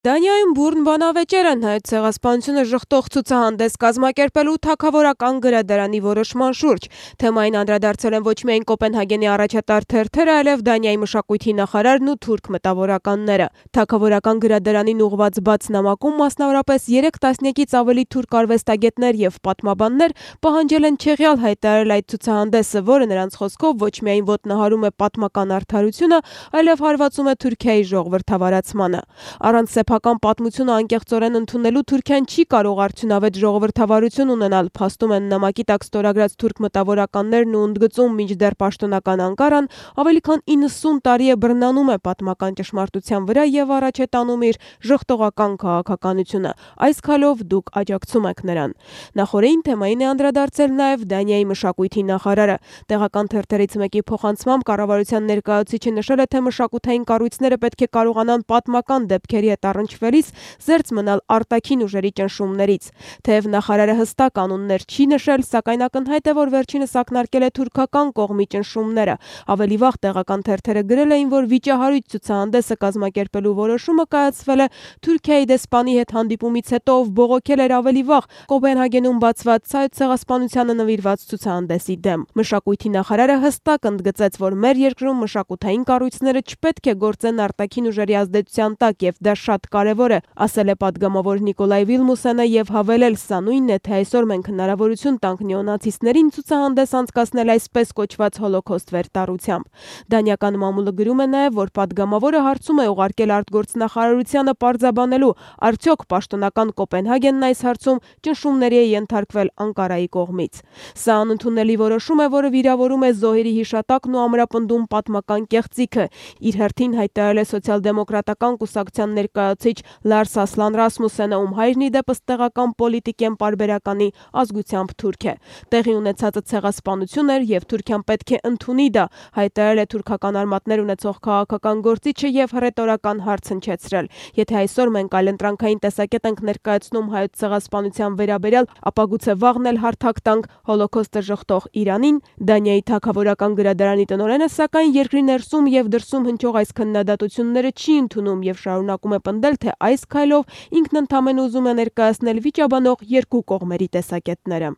Դանիայում բուռն բանավեճեր են հայոց ցեղասպանությունը ժխտող ցուցահանդես կազմակերպելու թագավորական գրադարանի որոշման շուրջ։ Թեմային անդրադարձել են ոչ միայն Կոպենհագենի առաջատար թերթերը, այլև Դանիայի մշակույթի նախարարն ու թուրք մտավորականները։ Թագավորական գրադարանին ուղղված բաց նամակում մասնավորապես 3 տասնյակից ավելի թուրք արվեստագետներ եւ պատմաբաններ պահանջել են չեղյալ հայտարարել այդ ցուցահանդեսը, որը նրանց խոսքով ոչ միայն ոտնահարում է պատմական արդարությունը, այլև հարվածում է Թուրքիայի ժողովրդավարացմանը։ Առանց սեփական պատմությունը անկեղծորեն ընդունելու Թուրքիան չի կարող արդյունավետ ժողովրդավարություն ունենալ, փաստում են նամակի տակ ստորագրած թուրք մտավորականներն ու ընդգծում, մինչդեռ պաշտոնական Անկարան ավելի քան 90 տարի է բռնանում է պատմական ճշմարտության վրա եւ առաջ է տանում իր ժխտողական քաղաքականությունը։ Այս քայլով դուք աջակցում եք նրան։ Նախորդին թեմային է անդրադարձել նաեւ Դանիայի մշակույթի նախարարը։ Տեղական թերթերից մեկի փոխանցմամբ կառավարության ներկայացուցիչը նշել է, թե մշակութային կառույցները պետք է կարողանան պատմական դեպքերի հետ առնչվելիս զերծ մնալ արտաքին ուժերի ճնշումներից։ Թեև նախարարը հստակ անուններ չի նշել, սակայն ակնհայտ է, որ վերջինս ակնարկել է թուրքական կողմի ճնշումները։ Ավելի վաղ տեղական թերթերը գրել էին, որ վիճահարույց ցուցահանդեսը կազմակերպելու որոշումը կայացվել է Թուրքիայի դեսպանի հետ հանդիպումից հետո, ով բողոքել էր ավելի վաղ Կոպենհագենում բացված հայոց ցեղասպանությանը նվիրված ցուցահանդեսի դեմ։ Մշակույթի նախարարը հստակ ընդգծեց, որ մեր երկրում մշակութային կառույցները չպետք է գործեն արտաքին ուժերի ազդեցության տակ եւ դա շատ կարևոր է, ասել է падգամավոր Նիկոլայ Վիլմուսենը եւ հավելել, սա նույնն է, թե այսօր մենք հնարավորություն տանք նեոնացիստներին ցուցահանդես անցկացնել այսպես կոչված հոլոքոստ վերտառությամբ։ Դանիական մամուլը գրում է նաեւ, որ падգամավորը հարցում է ուղարկել արտգործնախարարությանը պարզաբանելու, արդյոք պաշտոնական Կոպենհագենն այս հարցում ճնշումների է ենթարկվել Անկարայի կողմից։ Սա անընդունելի որոշում է, որը վիրավորում է զոհերի հիշատակն ու ամրապնդում պատմական կեղծիքը, իր հերթին հայտարարել է սոցիալ-դեմոկրատական կուսակցության ներկայացուցիչ Լարս Ասլան Ռասմուսենը, ում հայրն ի դեպս տեղական պոլիտիկեն պարբերականի ազգությամբ թուրք է։ Տեղի ունեցածը ցեղասպանություն էր եւ Թուրքիան պետք է ընդունի դա, հայտարարել է թուրքական արմատներ ունեցող քաղաքական գործիչը եւ հռետորական հարց հնչեցրել։ Եթե այսօր մենք այլընտրանքային տեսակետ ենք ներկայացնում հայոց ցեղասպանության վերաբերյալ, ապա գուցե վաղն էլ հարթակ տանք հոլոքոստը ժխտող Իրանին։ Դանիայի թագավորական գրադարանի տնօրենը սակայն երկրի ներսում եւ դրսում հնչող այս քննադատությունները չի ընդունում եւ շարունակում է պնդել, թե այս քայլով ինքն ընդամենը ուզում է ներկայացնել վիճաբանող երկու կողմերի տեսակետները։